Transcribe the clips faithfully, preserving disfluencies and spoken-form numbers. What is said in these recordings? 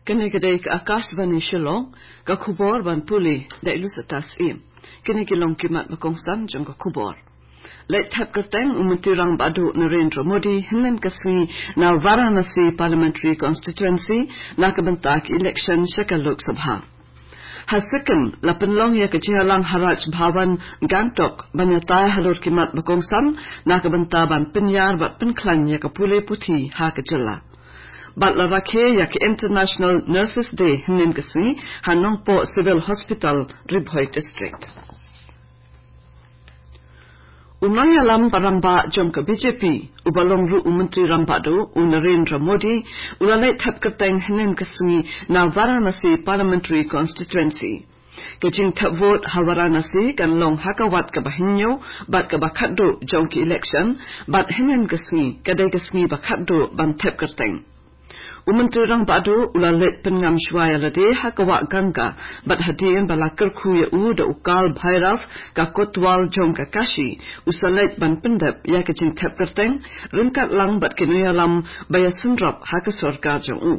Kane ka dei ka Akashvani Shillong, ka khubor ban pule da i Lusata Syiem. Kine ki long ki mat ba kongsan jong ka khubor. Leit thep kyrteng u Myntri Rangbah Duh Narendra Modi hynnin ka sngi na Varanasi Parliamentary Constituency na ka bynta ka election sha ka Lok Sabha. Ha Sikkim la pynlong ïa ka jingïalang ha Raj Bhavan Gangtok ban ïatai halor ki mat ba kongsan na ka bynta ban pynïar bad pynkhlaiñ ïa ka pule puthi ha ka jylla. Bad la rakhe ïa ka International Nurses Day hynnin ka sngi ha Nongpoh Civil Hospital, Ri Bhoi District. U nongïalam ba rangbah jong ka B J P, uba long ruh u Myntri Rangbah Duh, u Narendra Modi, u la leit thep kyrteng hynnin ka sngi na Varanasi Parliamentary Constituency. Ka jingthep vote ha Varanasi kan long ha ka wat kaba hynñiew bad kaba khatduh jong ki election, bad hynnin ka sngi ka dei ka sngi ba khatduh ban thep kyrteng. U Myntri Rangbah Duh u la leit pynngam shuwa ïa lade ha ka wah Ganga, bad hadien ba la kyrkhu ïa u da u Kal Bhairav, ka kotwal jong ka Kashi, u sa leit ban pyndep ïa ka jingthep kyrteng ryngkat lang bad ki nongïalam ba ïasynrop ha ka sorkar jong u.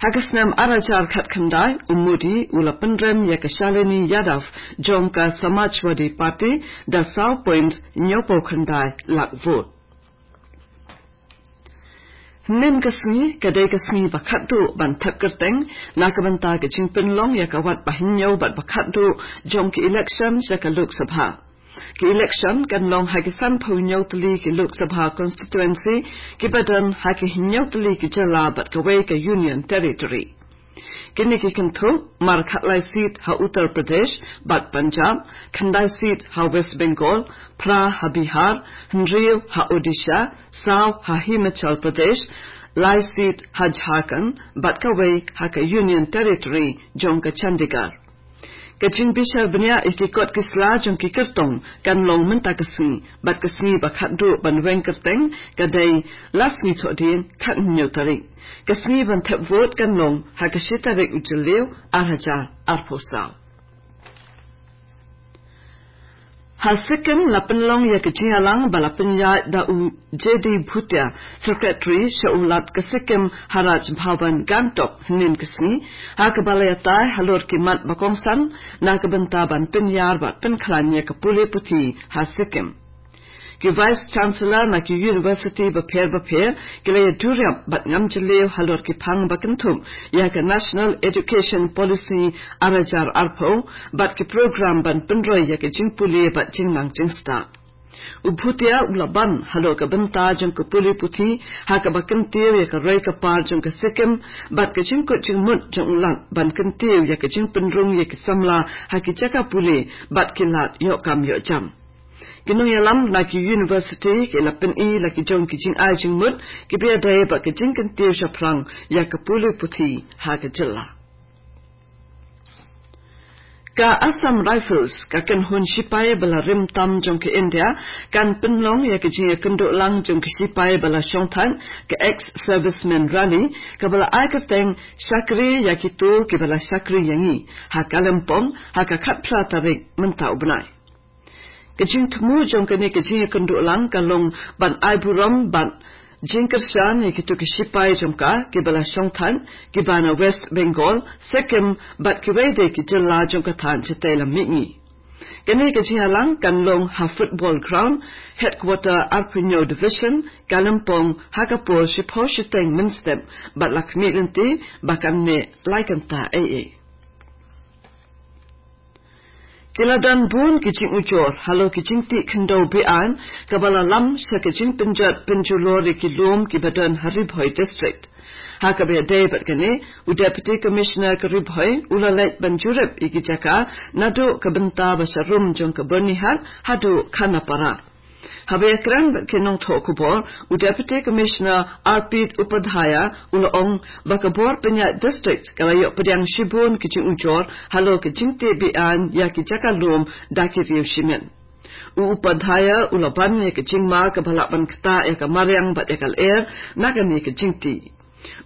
Ha ka snem ar hajar khatkhyndai, u Modi u la pynrem ïa ka Shalini Yadav jong ka Samajwadi Party da saw point hynñiewphew khyndai lak vote. Hynnin ka sngi ka dei ka sngi ba khatduh ban thep kyrteng na ka bynta ka jingpynlong ïa ka wat ba hynñiew bad ba khatduh jong ki election sha ka Lok Sabha. Ki election kan long ha ki sanphew hynñiew tylli ki Lok Sabha constituency, kiba don ha ki hynñiew tylli ki jylla bad kawei ka Union Territory. Kine ki kynthup: mar khatlai seat ha Uttar Pradesh bad Punjab, khyndai seat ha West Bengal, phra ha Bihar, hynriew ha Odisha, saw ha Himachal Pradesh, lai seat ha Jharkhand bad kawei ha ka Union Territory jong ka Chandigarh. Ka jingbishar bniah ïa ki kot ki sla jong ki kyrtong kan long mynta ka sngi, bad ka sngi ba khatduh ban weng kyrteng ka dei la sngi Thohdieng, khathynñiew tarik. Ka sngi ban thep vote kan long ha ka shi tarik u Jylliew, ar hajar arphew saw. Ha Sikkim la pynlong ïa ka jingïalang ba la pynïaid da u J D Bhutia, Secretary sha u Lat ka Sikkim, ha Raj Bhavan Gangtok hynnin ka sngi, ha kaba la ïatai halor ki mat ba kongsan na ka bynta ban pynïar bad pynkhlaiñ ïa ka pule puthi ha Sikkim. Ki Vice Chancellor na ki university bapher bapher ki la ïaduriap bad ngam jylliew halor ki phang ba kynthup ïa ka National Education Policy ar hajar arphew bad ki program ban pynroi ïa ka jingpule bad jingnang jingstad. U Bhutia u la ban halor ka bynta jong ka pule puthi, ha kaba kyntiew ïa ka roi ka par jong ka Sikkim bad ka jingkut jingmut jong u Lat ban kyntiew ïa ka jingpynrung ïa ki samla ha ki jaka pule bad ki lad ïoh kam ïoh jam. Ki nongïalam na ki university ki la pyni la ki jong ki jingai jingmut kiba ïadei bad ka jingkyntiew shaphrang ïa ka pule puthi ha ka jylla. Ka Assam Rifles, ka kynhun shipai ba la rim tam jong ka India, kan pynlong ïa ka jingïakynduh lang jong ka shipai ba la shongthait, ka Ex-Servicemen Rally, kaba la ai kyrteng Shakri ïa kito kiba la shakri ïa ngi, ha Kalimpong, ha ka khatphra tarik mynta u bnai. Ka jingthmu jong kane ka jingïakynduh lang ka long ban ai burom bad jingkyrshan ïa kito ki shipai jong ka kiba la shongthait, kiba na West Bengal, Sikkim bad kiwei de ki jylla jong ka thaiñ shatei lam mihngi. Kane ka jingïalang kan long ha Football Ground, Headquarter arphew hynñiew Division, Kalimpong, ha ka por shiphew shiteng mynstep, bad la khmih lynti ba kan neh lai kynta eiei. Ki la don bun ki jingujor halor ki jingtih khyndew be-aiñ kaba la lam sha ka jingpynjot pynjulor ïa ki lum kiba don ha Ri Bhoi District. Ha kaba ïadei bad kane, u Deputy Commissioner ka Ri Bhoi u la leit ban jurip ïa ki jaka naduh ka bynta ba sharum jong ka Byrnihat haduh Khanapara. Haba ïakren bad ki nongthoh khubor, u Deputy Commissioner Arpit Upadhyaya u la ong ba ka bor pynïaid district ka la ïoh pdiang shibun ki jingujor halor ki jingtih be-aiñ ïa ki jaka lum da ki riew shimet. U Upadhyaya u la ban ïa ka jingma kaba lah ban ktah ïa ka mariang bad ïa ka lyer na kane ka jingtih.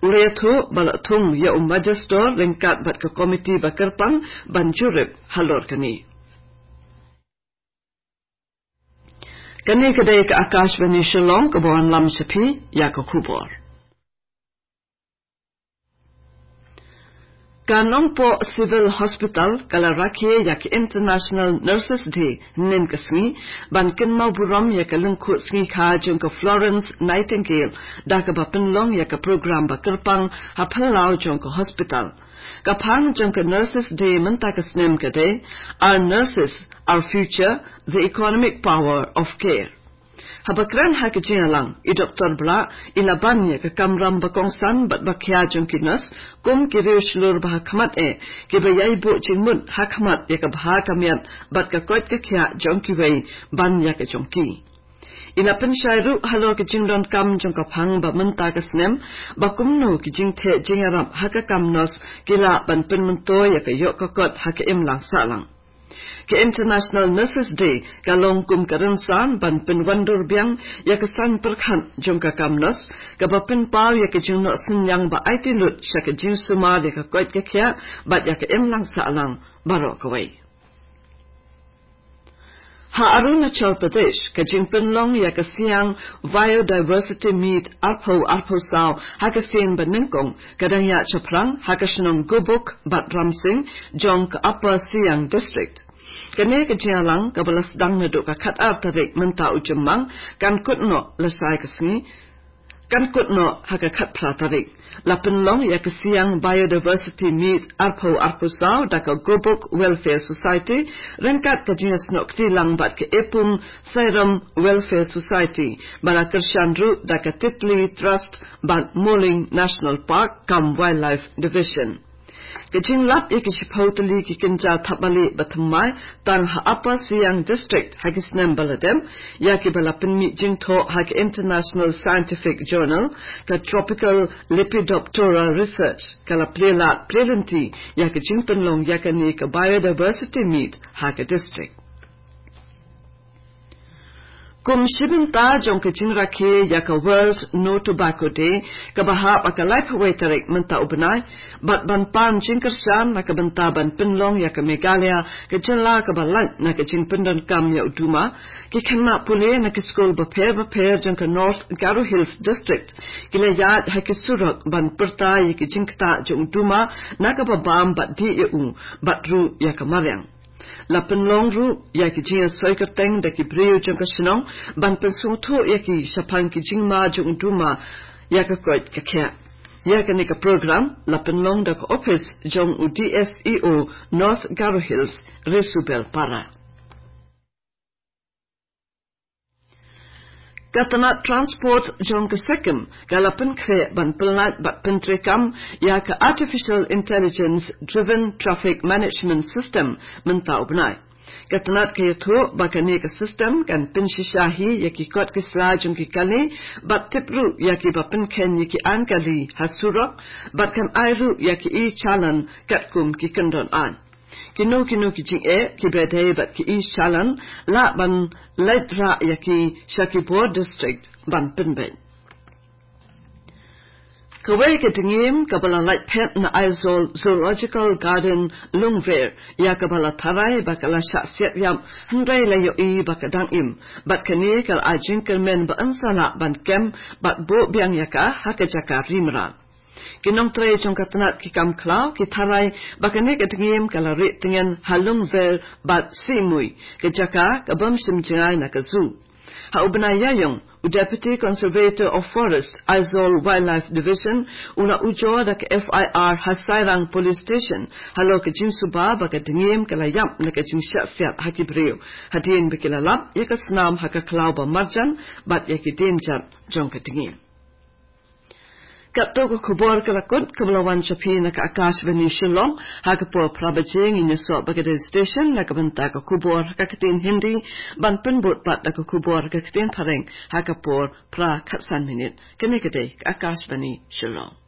U la ïathuh ba la thung ïa u Magistrate ryngkat bad ka komiti ba kyrpang ban jurip halor kane. Kane ka dei ka Akashvani Shillong kaba wanlam sha phi ïa ka khubor. Ka Nongpoh Civil Hospital ka la rakhe ïa ka International Nurses Day hynnin ka sngi, ban kynmaw burom ïa ka lyngkhuh sngi kha jong ka Florence Nightingale, da kaba pynlong ïa ka program ba kyrpang ha phyllaw jong ka hospital. Ka phang jong ka Nurses Day mynta ka snem ka dei, "Our nurses, our future, the economic power of care." Haba kren ha ka jingïalang, i Doktor Blah i la ban ïa ka kamram ba kongsan bad ba khia jong ki nurse, kum ki riew shlur ba ha khmat eh, kiba ïai buh jingmut ha khmat ïa ka bha ka miat bad ka koit ka khiah jong kiwei ban ïa ka jong ki. I la pynshai ruh halor ka jingdonkam jong ka phang ba mynta ka snem, ba kumno ki jingtheh jingïarap ha ka kam nurse ki lah ban pynmyntoi ïa ka ïoh ka kot ha ka imlang sahlang. Ka International Nurses Day ka long kum ka rynsan ban pynwandur biang ïa ka saiñ pyrkhat jong ka kam nurse, kaba pynpaw ïa ka jingnoh synñiang ba aiti lut sha ka jingsumar ïa ka koit ka khiah bad ïa ka imlang sahlang baroh kawei. Ha Arunachal Pradesh, ka jingpynlong ïa ka Siang Biodiversity Meet arphew arphew saw ha ka sien ba nyngkong ka dang ïaid shaphrang ha ka shnong Gobuk bad Ramsing jong ka Upper Siang District. Kane ka jingïalang kaba la sdang naduh ka khatar tarik mynta u Jymmang, kan kut noh lashai ka sngi, kan kut noh ha ka khatphra tarik. La pynlong ïa ka Siang Biodiversity Meet arphew arphew saw da ka Gobuk Welfare Society, ryngkat ka jingïasnoh kti lang bad ka Epum Sairam Welfare Society, ba la kyrshan ruh da ka Titli Trust bad Moling National Park cum Wildlife Division. Ka jinglap ïa ki shiphew tylli ki kynja thapbalieh ba thymmai tang ha Upper Siang District ha ki snem ba la dep, ïa kiba la pynmih jingthoh ha ka International Scientific Journal, ka Tropical Lepidoptera Research, ka la plie lad plie lynti ïa ka jingpynlong ïa kane ka Biodiversity Meet ha ka district. Kum shi bynta jong ka jingrakhe ïa ka World No Tobacco Day, kaba hap ha ka laiphew wei tarik mynta u bnai, bad ban pan jingkyrshan na ka bynta ban pynlong ïa ka Meghalaya ka jylla kaba lait na ka jingpyndonkam ïa u duma, ki khynnah pule na ki skul bapher bapher jong ka North Garo Hills District ki la ïaid ha ki surok ban pyrta ïa ki jingktah jong u duma na kaba bam bad dih ïa u, bad ruh ïa ka mariang. La pynlong ruh ïa ki jingïasoi kyrteng da ki briew jong ka shnong ban pynsngewthuh ïa ki shaphang ki jingma jong u duma ïa ka koit ka khiah. Ïa kane ka program la pynlong da ka ophis jong u D S E O North Garo Hills, Resubel Para. Ka tnat transport jong ka SACM ka la pynkhreh ban pynlait bad pyntreikam ïa ka Artificial Intelligence Driven Traffic Management System mynta u bnai. Ka tnat ka ïathuh ba kane ka system kan pynshisha hi ïa ki kot ki sla jong ki kali, bad tip ruh ïa kiba pynkheiñ ïa ki aiñ kali ha surok, bad kan ai ruh ïa ki e-challan katkum ki kyndon aiñ. Kino kino ki jingeh kiba dei bad ki e-challan lah ban leit rah ïa ki sha ki bor district ban pynbeit. Kawei ka dngiem kaba la lait phet na Aizawl Zoological Garden Lungver, ïa kaba la tharai ba ka la shah siat ïap, hynrei la ïohi ba ka dang im, bad kane ka la ai jingkyrmen ba yn sa lah ban kem bad buh biang ïa ka ha ka jaka ri mrad. Ki nongtrei jong ka tnat ki kam khlaw ki tharai ba kane ka dngiem ka la rieh tngen ha Lungver bad Sihmui, ka jaka ka bym shim jngai na ka zoo. Ha u bnai Ïaïong, u Deputy Conservator of Forest, Aizawl Wildlife Division, u la ujor da ka F I R ha Sairang Police Station halor ka jingsuba ba ka dngiem ka la ïap na ka jingshah siat ha ki briew, hadien ba ki la lap ïa ka snam ha ka khlaw ba marjan bad ïa ki dienjat jong ka dngiem. Katto ka khubor ka la kut, kaba la wan sha phi na ka Akashvani Shillong. Ha ka por phra baje ngin ïasoh bad ka dei station na ka bynta ka khubor ha ka ktien Hindi, ban pynbud pat da ka khubor ha ka ktien Phareng ha ka por phra khatsan minit. Kane ka dei ka Akashvani Shillong.